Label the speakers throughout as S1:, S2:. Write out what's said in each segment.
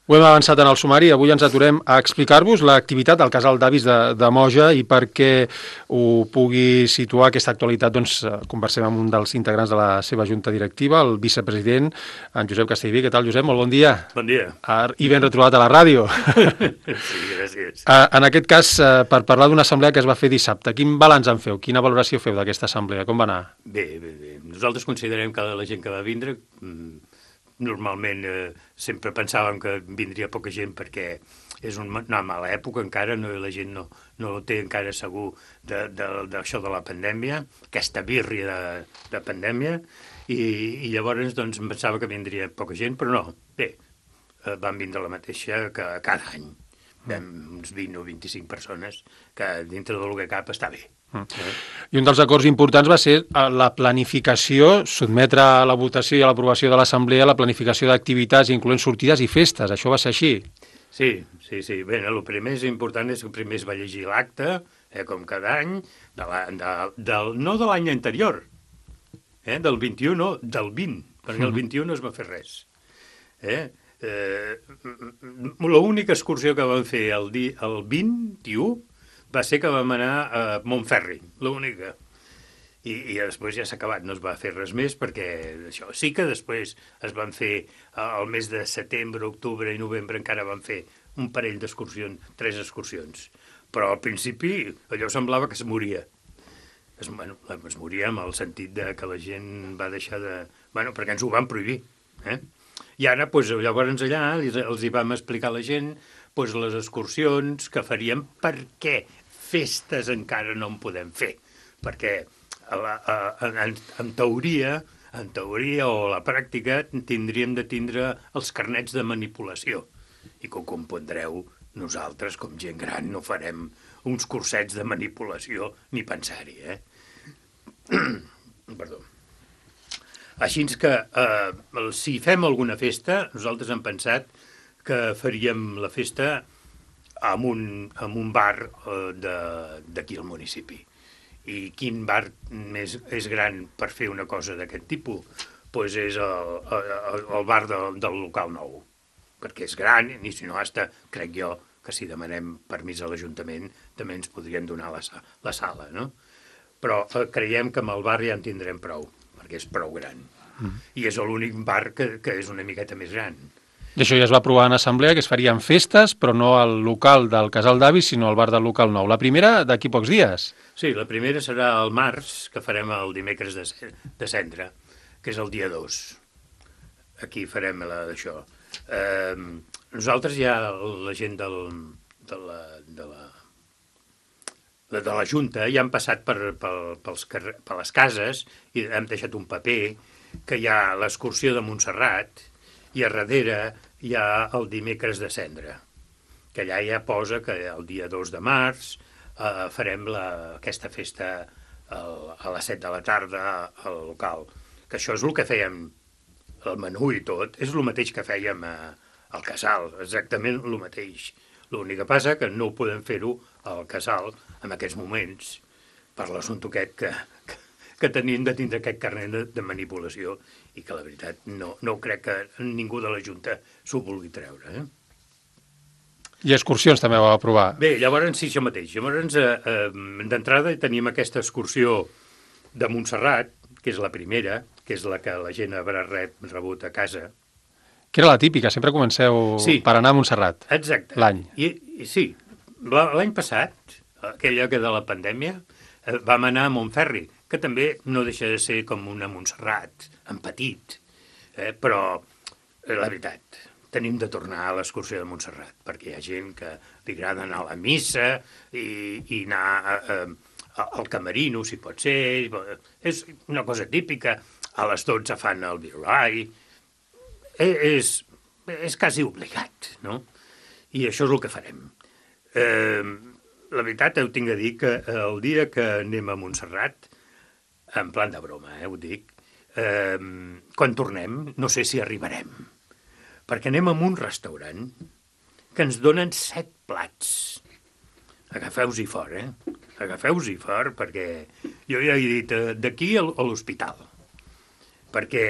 S1: Ho hem avançat en el sumari, avui ens aturem a explicar-vos l'activitat del casal d'avis de Moja i perquè ho pugui situar aquesta actualitat, doncs conversem amb un dels integrants de la seva junta directiva, el vicepresident, en Josep Castellví. Què tal, Josep? Molt bon dia.
S2: Bon dia.
S1: I ben retrobat a la ràdio.
S2: Sí, gràcies.
S1: En aquest cas, per parlar d'una assemblea que es va fer dissabte, quin balanç en feu? Quina valoració feu d'aquesta assemblea? Com va anar?
S2: Bé. Nosaltres considerem que la gent que va vindre normalment sempre pensàvem que vindria poca gent perquè és una mala època encara, la gent no ho té encara segur d'això de la pandèmia, aquesta birria de pandèmia, i llavors doncs em pensava que vindria poca gent, però no, bé, van vindre la mateixa que cada any. Uns 20 o 25 persones, que dintre del que cap està bé.
S1: I un dels acords importants va ser la planificació, sotmetre a la votació i a l'aprovació de l'Assemblea la planificació d'activitats, incloent sortides i festes. Això va ser així?
S2: Sí. Bé, el primer important és que primer es va llegir l'acte, com cada any, no de l'any anterior, del 21, no, del 20, perquè el 21 no es va fer res. L'única excursió que vam fer el 21 va ser que vam anar a Montferri, l'única. I després ja s'ha acabat, no es va fer res més, perquè això sí que després es van fer, el mes de setembre, octubre i novembre encara van fer un parell d'excursions, 3 excursions. Però al principi allò semblava que es moria. Es moria en el sentit de que la gent va deixar de... perquè ens ho van prohibir, I ara, llavors allà, els hi vam explicar a la gent les excursions que faríem, perquè festes encara no en podem fer, perquè en teoria o a la pràctica tindríem de tindre els carnets de manipulació, i com comprendreu, nosaltres, com gent gran, no farem uns cursets de manipulació ni pensar-hi, Perdó. Així que, si fem alguna festa, nosaltres hem pensat que faríem la festa en un bar d'aquí al municipi. I quin bar més és gran per fer una cosa d'aquest tipus? Doncs és el bar del local nou, perquè és gran, i si no, crec jo, que si demanem permís a l'Ajuntament també ens podrien donar la sala, no? Però creiem que amb el bar ja en tindrem prou, perquè és prou gran. I és l'únic bar que és una miqueta més gran.
S1: I això ja es va aprovar en assemblea, que es farien festes, però no al local del casal d'avis, sinó al bar del local nou. La primera, d'aquí pocs dies.
S2: Sí, la primera serà el març, que farem el dimecres de Cendra, que és el dia 2. Aquí farem d'això. Nosaltres ja, la gent de la Junta, ja han passat per les cases i hem deixat un paper que hi ha l'excursió de Montserrat i a darrere hi ha el dimecres de Cendra, que allà ja posa que el dia 2 de març farem aquesta festa a les 7 de la tarda al local, que això és el que fèiem, el menú i tot, és el mateix que fèiem al casal, exactament el mateix. L'únic que passa que no podem fer-ho al casal en aquests moments per l'assumpte aquest que tenim de tindre aquest carnet de manipulació i que la veritat no crec que ningú de la Junta s'ho vulgui treure.
S1: I excursions també ho va aprovar.
S2: Bé, llavors sí, això mateix. Llavors, d'entrada tenim aquesta excursió de Montserrat, que és la primera, que és la que la gent haurà rebut a casa.
S1: Que era la típica, sempre comenceu per anar a Montserrat.
S2: Exacte.
S1: L'any.
S2: Sí, l'any passat, aquella que de la pandèmia, vam anar a Montferri, que també no deixa de ser com una Montserrat, en petit, però la veritat, tenim de tornar a l'excursió de Montserrat, perquè hi ha gent que li agrada anar a la missa i anar al camerino, si pot ser. És una cosa típica. A les 12 fan el violai. És quasi obligat, no? I això és el que farem. La veritat, ho tinc a dir que el dia que anem a Montserrat, en plan de broma, ho dic, quan tornem, no sé si arribarem, perquè anem a un restaurant que ens donen 7 plats. Agafeu-s'hi fort, Agafeu-s'hi fort, perquè jo ja he dit d'aquí a l'hospital, perquè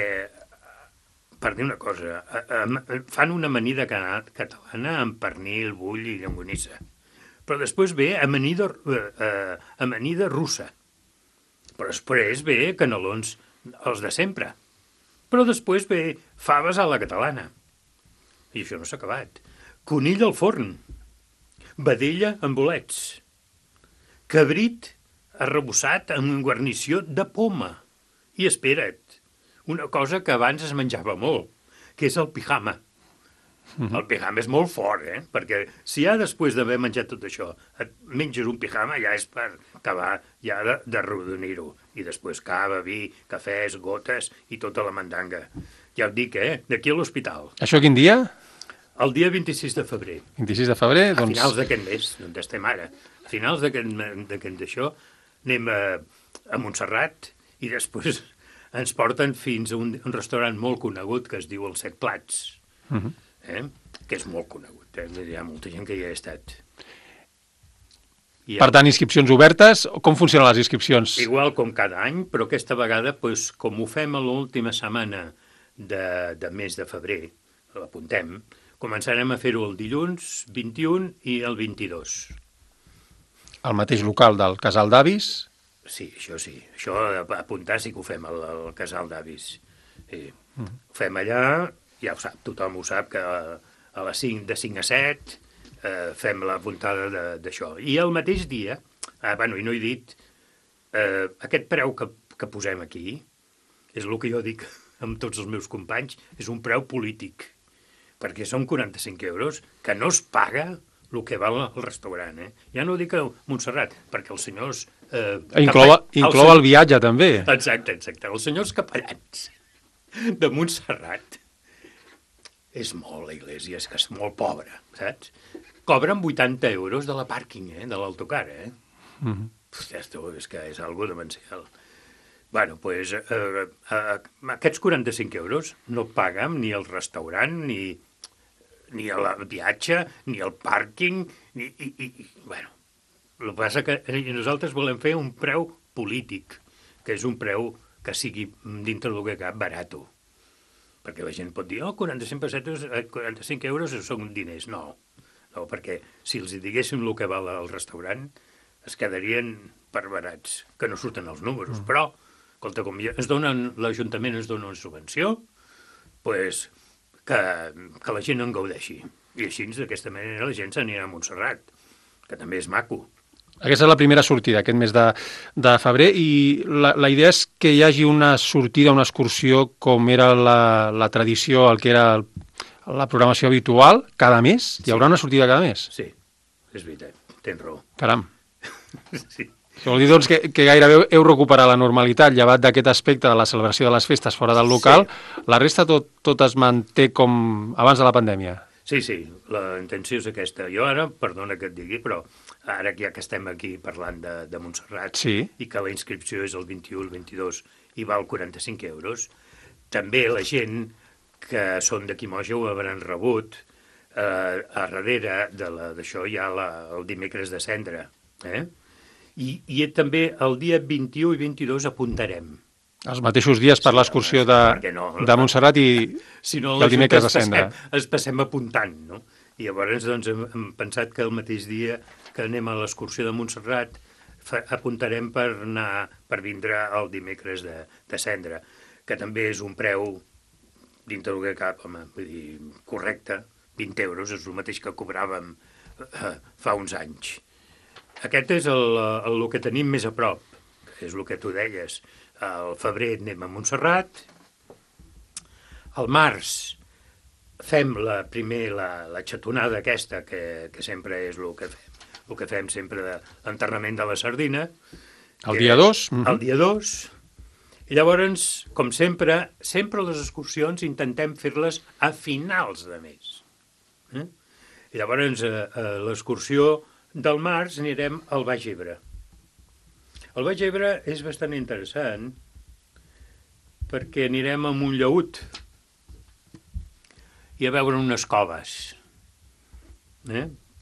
S2: per dir una cosa, fan una amanida catalana amb pernil, bull i llonganissa. Però després ve amanida russa. Però després ve canelons, els de sempre. Però després ve faves a la catalana. I això no s'ha acabat. Conill al forn. Vedella amb bolets. Cabrit arrebossat amb guarnició de poma. I espera't, una cosa que abans es menjava molt, que és el pijama. El pijama és molt fort, perquè si ja després d'haver menjat tot això et menges un pijama, ja és per acabar ja d'arrodonir-ho. I després cava, vi, cafès, gotes i tota la mandanga. Ja ho dic, d'aquí a l'hospital.
S1: Això quin dia?
S2: El dia 26 de febrer.
S1: 26 de febrer,
S2: doncs... A finals d'aquest mes, on estem ara. A finals d'aquest d'això anem a Montserrat i després ens porten fins a un restaurant molt conegut que es diu Els Set Plats. Que és molt conegut, hi ha molta gent que hi ha estat.
S1: Per tant, inscripcions obertes, com funcionen les inscripcions?
S2: Igual com cada any, però aquesta vegada, com ho fem a l'última setmana de mes de febrer, l'apuntem, començarem a fer-ho el dilluns 21 i el 22.
S1: Al mateix local del Casal d'Avis?
S2: Sí, això apuntar sí que ho fem al Casal d'Avis. Ho fem allà... Ja ho sap, tothom ho sap, que a les 5, de 5 a 7 fem la puntada d'això. I el mateix dia, i no he dit, aquest preu que posem aquí, és el que jo dic amb tots els meus companys, és un preu polític, perquè són 45 euros que no es paga el que val al restaurant. Ja no dic a Montserrat, perquè els senyors...
S1: Inclou el viatge, també.
S2: Exacte. Els senyors capellans de Montserrat... És molt, la Iglésia, és que és molt pobra, saps? Cobren 80 euros de la pàrquing, de l'autocar, És que és algo demencial. Bueno, doncs, aquests 45 euros no paguen ni el restaurant, ni el viatge, ni el pàrquing, bueno, el que passa que nosaltres volem fer un preu polític, que és un preu que sigui dintre del que cap barato. Perquè la gent pot dir, 45 euros són diners. No, perquè si els diguéssim el que val al restaurant, es quedarien perbarats, que no surten els números. Però, escolta, com l'Ajuntament ens dona una subvenció, doncs que la gent en gaudeixi. I així, d'aquesta manera, la gent s'anirà a Montserrat, que també és maco.
S1: Aquesta és la primera sortida, aquest mes de febrer, i la idea és que hi hagi una sortida, una excursió, com era la tradició, el que era la programació habitual, cada mes? Hi haurà una sortida cada mes?
S2: Sí, és veritat, tens raó.
S1: Caram.
S2: Sí.
S1: Això vol dir, doncs, que gairebé heu recuperat la normalitat, llevat d'aquest aspecte de la celebració de les festes fora del local. Sí. La resta tot es manté com abans de la pandèmia?
S2: Sí, la intenció és aquesta. Jo ara, perdona que et digui, però ara ja que estem aquí parlant de Montserrat i que la inscripció és el 21, el 22 i val 45 euros, també la gent que són d'aquí Moja ho hauran rebut. A darrere d'això hi ha el dimecres de cendra. I també el dia 21 i 22 apuntarem.
S1: Els mateixos dies per l'excursió de Montserrat i el dimecres de cendra.
S2: Es passem apuntant, no? I llavors doncs, hem pensat que el mateix dia que anem a l'excursió de Montserrat apuntarem per vindre el dimecres de cendra, que també és un preu dintre del que cap, vull dir, correcte, 20 euros, és el mateix que cobràvem fa uns anys. Aquest és el que tenim més a prop, és el que tu deies. Al febrer anem a Montserrat, al març fem la xatonada aquesta, que sempre és el que fem sempre de l'enterrament de la sardina.
S1: El dia 2?
S2: El dia 2. I llavors, com sempre les excursions intentem fer-les a finals de mes. I llavors, a l'excursió del març anirem al Baix Ebre. El Baix Ebre és bastant interessant perquè anirem a Montllaüt i a veure unes coves.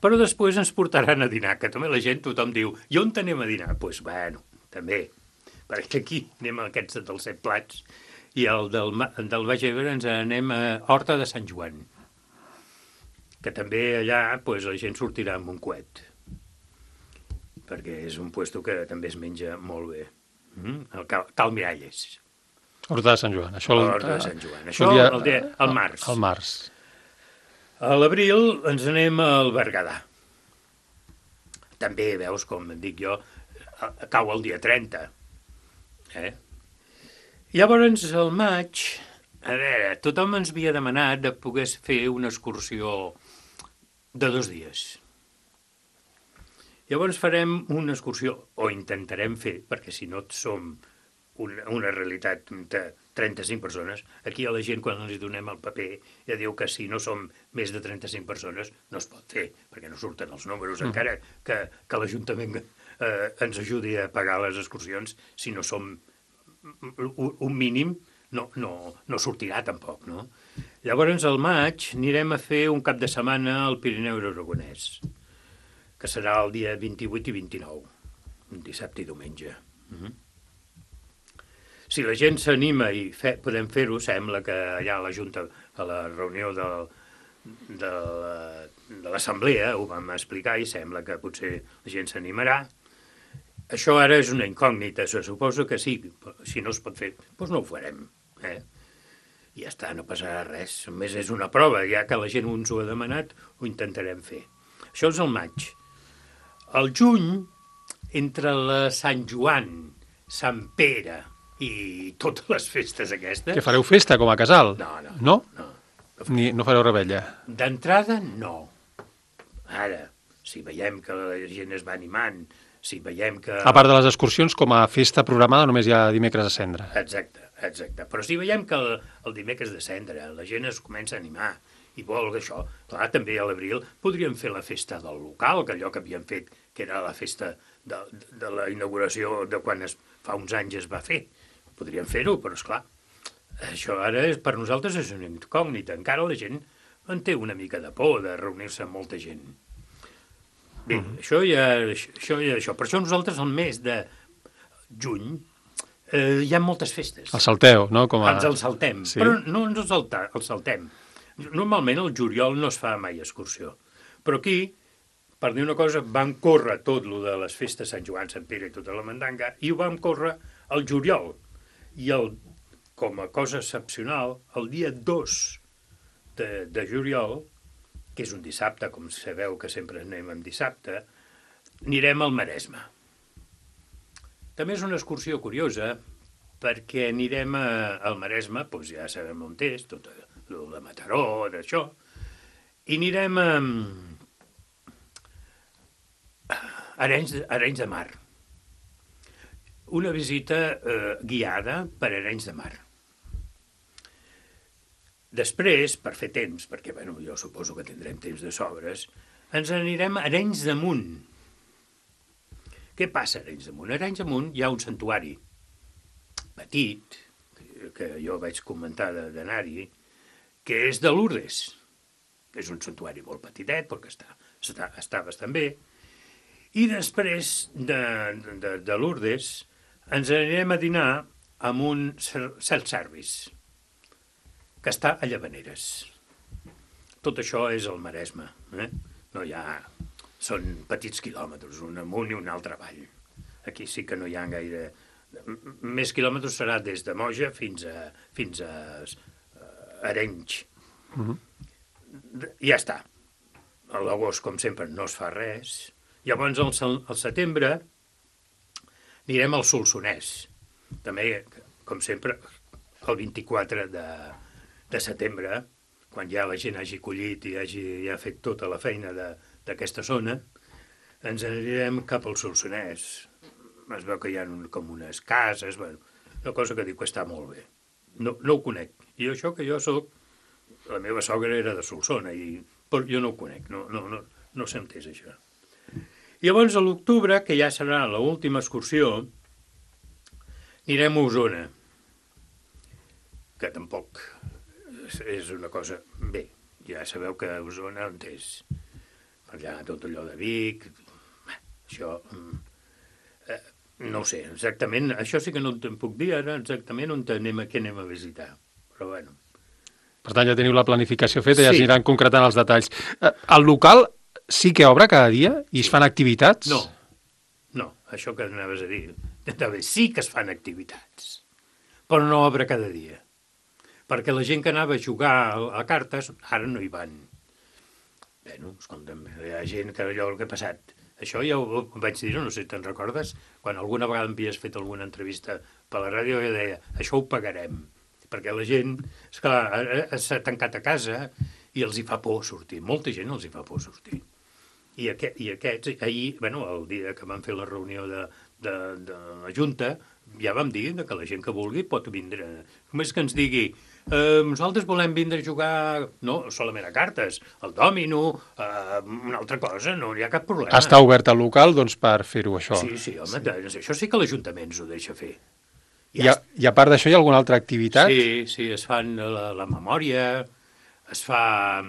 S2: Però després ens portaran a dinar, que també la gent, tothom diu, i on anem a dinar? Doncs, bueno, també, perquè aquí anem a aquests dels Set Plats i el del Baix Ebre ens anem a Horta de Sant Joan, que també allà pues, la gent sortirà amb un coet, perquè és un puesto que també es menja molt bé. El Cal Miralles.
S1: Horta de Sant Joan.
S2: Horta de Sant Joan. Això el març.
S1: El març.
S2: A l'abril ens anem al Berguedà. També, veus, com dic jo, cau el dia 30. Llavors, al maig, a veure, tothom ens havia demanat de poder fer una excursió de 2 dies. Llavors farem una excursió, o intentarem fer, perquè si no som una realitat de 35 persones, aquí a la gent quan ens donem el paper ja diu que si no som més de 35 persones no es pot fer, perquè no surten els números, encara que l'Ajuntament ens ajudi a pagar les excursions, si no som un mínim no sortirà tampoc, no? Llavors al maig anirem a fer un cap de setmana al Pirineu Aragonès, que serà el dia 28 i 29, dissabte i diumenge. Si la gent s'anima i podem fer-ho, sembla que allà a la Junta, a la reunió de l'Assemblea, ho vam explicar i sembla que potser la gent s'animarà. Això ara és una incògnita, se suposa que sí, si no es pot fer, doncs no ho farem. I ja està, no passarà res, només és una prova, ja que la gent ens ho ha demanat, ho intentarem fer. Això és el maig. Al juny, entre la Sant Joan, Sant Pere i totes les festes aquestes...
S1: Que fareu festa com a casal?
S2: No.
S1: No fareu rebella?
S2: D'entrada, no. Ara, si veiem que la gent es va animant, si veiem que...
S1: A part de les excursions, com a festa programada només hi ha dimecres de cendra.
S2: Exacte. Però si veiem que el dimecres de cendra la gent es comença a animar i vol això, clar, també a l'abril podríem fer la festa del local, que allò que havíem fet, que era la festa de la inauguració de quan fa uns anys es va fer. Podríem fer-ho, però esclar, això ara per nosaltres és una incògnita. Encara la gent en té una mica de por de reunir-se amb molta gent. Bé, això. Per això nosaltres al mes de juny hi ha moltes festes.
S1: El salteu, no?
S2: Ens el saltem, sí. Però no ens el saltem. Normalment el juliol no es fa mai excursió. Però aquí, per dir una cosa, vam córrer tot lo de les festes Sant Joan, Sant Pere i tota la mandanga, i ho vam córrer al juliol. I com a cosa excepcional, el dia 2 de juliol, que és un dissabte, com sabeu que sempre anem en dissabte, anirem al Maresme. També és una excursió curiosa, perquè anirem al Maresme, doncs ja sabem on és, tot el de Mataró, d'això, i anirem a Arenys de Mar. Una visita guiada per Arenys de Mar. Després, per fer temps, perquè jo suposo que tindrem temps de sobres, ens anirem a Arenys de Munt. Què passa a Arenys de Munt? A Arenys de Munt hi ha un santuari petit, que jo vaig comentar d'anar-hi, que és de Lourdes. És un santuari molt petitet, perquè està bastant bé. I després de Lourdes ens anirem a dinar amb un self-service, que està a Llavaneres. Tot això és el Maresme. No hi ha... Són petits quilòmetres, un amunt i un altre avall. Aquí sí que no hi ha gaire... Més quilòmetres serà des de Moja fins a Arenys. I ja està. A l'agost, com sempre, no es fa res. Llavors, al setembre, anirem al Solsonès. També, com sempre, el 24 de setembre, quan ja la gent hagi collit i hagi ja fet tota la feina d'aquesta zona, ens anirem cap al Solsonès. Es veu que hi ha com unes cases, una cosa que diu que està molt bé. No ho conec. I això que jo soc... La meva sogra era de Solsona, però jo no ho conec, no sé on és això. I llavors, a l'octubre, que ja serà l'última excursió, anirem a Osona, que tampoc és una cosa... Bé, ja sabeu que Osona on és. Per allà tot allò de Vic... Això... No ho sé, exactament, això sí que no te'n puc dir ara exactament on què anem a visitar, però bueno.
S1: Per tant, ja teniu la planificació feta i ja
S2: Sí.
S1: s'aniran concretant els detalls. El local sí que obre cada dia i es fan activitats?
S2: No, això que anaves a dir. Sí que es fan activitats, però no obre cada dia. Perquè la gent que anava a jugar a cartes, ara no hi van. Bueno, escolta'm, hi ha gent que allò el que ha passat. Això ja ho vaig dir, no sé si te'n recordes, quan alguna vegada m'havies fet alguna entrevista per la ràdio, jo deia, això ho pagarem. Perquè la gent, esclar, s'ha tancat a casa i els hi fa por sortir. Molta gent els hi fa por sortir. I aquests, ahir, bueno, el dia que vam fer la reunió de la Junta, ja vam dir que la gent que vulgui pot vindre. Només que ens digui, nosaltres volem vindre a jugar, no solament a cartes, al dòmino, una altra cosa, no hi ha cap problema.
S1: Està obert el local, doncs, per fer-ho, això.
S2: Sí, home, això sí que l'Ajuntament ens ho deixa fer.
S1: I a part d'això hi ha alguna altra activitat?
S2: Sí, es fan la memòria, es fa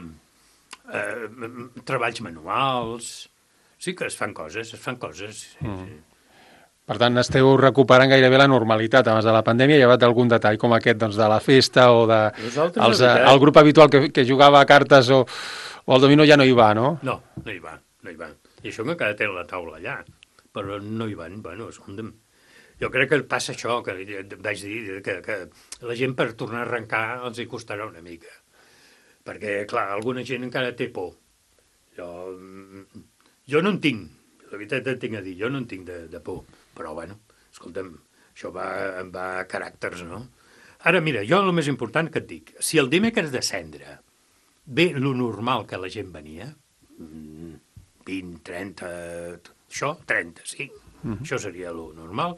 S2: treballs manuals, sí que es fan coses, Sí.
S1: Per tant, esteu recuperant gairebé la normalitat abans de la pandèmia. Hi ha algun detall com aquest, doncs, de la festa o de el grup habitual que jugava a cartes o al domino ja no hi va, no?
S2: No hi va. I això que cada té la taula allà, però no hi van. Bueno, escolta'm, jo crec que passa això, que vaig dir, que la gent per tornar a arrencar els hi costarà una mica. Perquè, clar, alguna gent encara té por. Jo no en tinc, la veritat et tinc a dir, jo no en tinc de por. Però, bueno, escolta'm, això va a caràcters, no? Ara, mira, jo el més important que et dic, si el dimecres de cendre ve lo normal que la gent venia, 20, 30, això, 30, sí, això seria lo normal,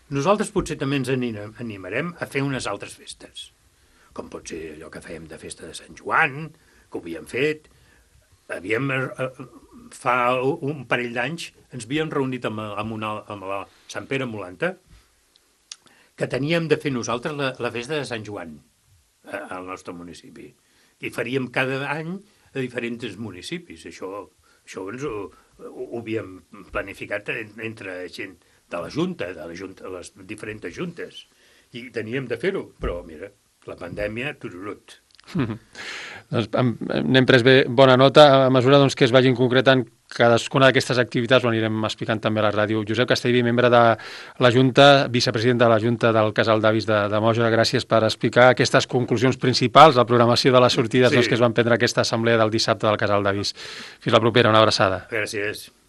S2: nosaltres potser també ens animarem a fer unes altres festes, com pot ser allò que fèiem de festa de Sant Joan, que ho havíem fet, fa un parell d'anys ens havíem reunit amb la Sant Pere Molanta, que teníem de fer nosaltres la festa de Sant Joan al nostre municipi. I faríem cada any a diferents municipis. Això ens ho havíem planificat entre gent de la Junta, les diferents juntes. I teníem de fer-ho, però mira, la pandèmia, tururut.
S1: Doncs n'hem pres bé bona nota. A mesura doncs, que es vagin concretant cadascuna d'aquestes activitats, ho anirem explicant també a la ràdio. Josep Castellví, membre de la Junta, vicepresident de la Junta del Casal d'Avis de Moja, gràcies per explicar aquestes conclusions principals, la programació de les sortides que es van prendre aquesta assemblea del dissabte del Casal d'Avis. Fins la propera, una abraçada.
S2: Gràcies.